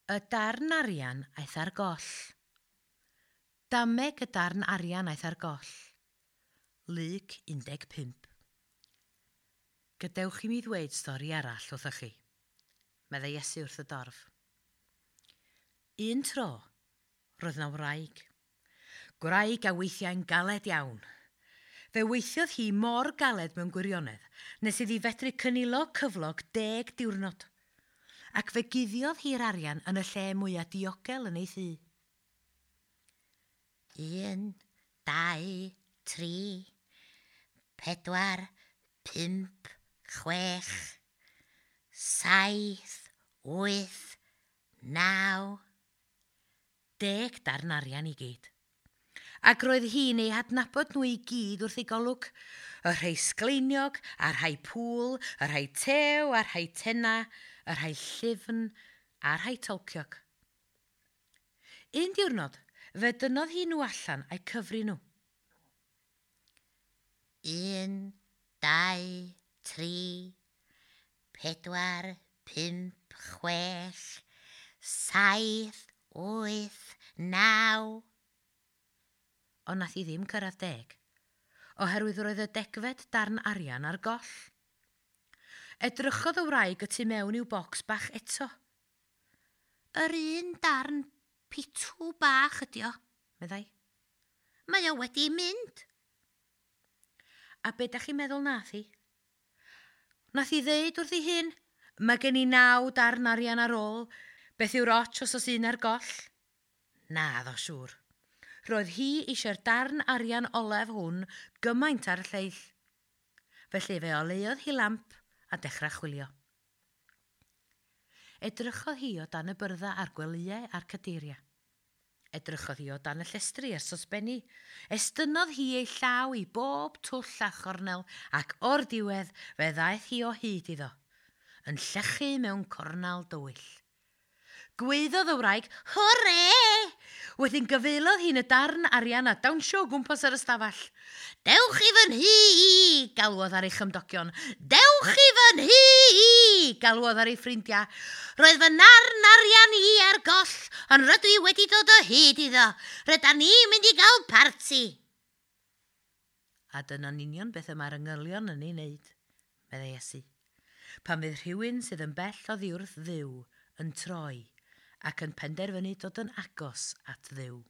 Y darn arian aeth ar goll. Dameg y darn arian aeth ar goll. Luc 15. Gadewch i mi ddweud stori arall wrthych chi, meddai Iesu wrth y dorf. Un tro, roedd 'na wraig. Gwraig a weithiau'n galed iawn. Fe weithiodd hi mor galed mewn gwirionedd nes iddi fedru cynilo cyflog 10 diwrnod. Ac fe guddiodd hi'r arian yn y lle mwyaf diogel yn ei thŷ. 1, 2, 3, 4, 5, 6, 7, 8, 9. 10 darn arian i gyd. Ac roedd hi'n eu hadnabod nhw i gyd wrth ei golwg. Y rhai sgleiniog, a'r rhai pŵl, y rhai tew, a'r rhai tenna, y rhai llyfn, a'r rhai tolciog. Un diwrnod, fe dynnodd hi nhw allan a'u cyfri nhw. 1, 2, 3, 4, 5, 6, 7, 8, 9. Ond nath hi ddim cyrraedd 10, oherwydd roedd y degfed darn arian ar goll. Edrychodd y wraig y tu mewn i'w bocs bach eto. Yr un darn pitw bach ydi o, meddai. Mae o wedi mynd. A be da chi'n meddwl nath hi? Nath hi ddeud wrth ei hun, mae gen i 9 darn arian ar ôl, beth yw'r ots os oes un ar goll? Na, ddo siŵr. Roedd hi eisiau'r darn arian olaf hwn gymaint ar y lleill. Felly fe oleuodd hi lamp a dechrau chwilio. Edrychodd hi o dan y byrddau a'r gwelyau a'r cadeiriau. Edrychodd hi o dan y llestri a'r sosbenni. Estynnodd hi ei llaw i bob twll a chornel ac o'r diwedd fe ddaeth hi o hyd iddo, yn llechu mewn cornel dywyll. Gwaeddodd y wraig, Hwre! Wedyn gyfeilodd hi'n y darn arian a dawnsio o gwmpas yr ystafell. Dewch i fy nhŷ i, galwodd ar ei chymdogion. Dewch i fy nhŷ i, galwodd ar ei ffrindiau. Roedd fy narn arian i ar goll, ond rydw i wedi dod o hyd iddo. Rydan ni'n mynd i gael parti. A dyna'n union beth y mae'r angylion yn ei wneud, meddai Iesu. Pan fydd rhywun sydd yn bell oddi wrth Dduw yn troi ac yn penderfynu dod yn agos at Dduw.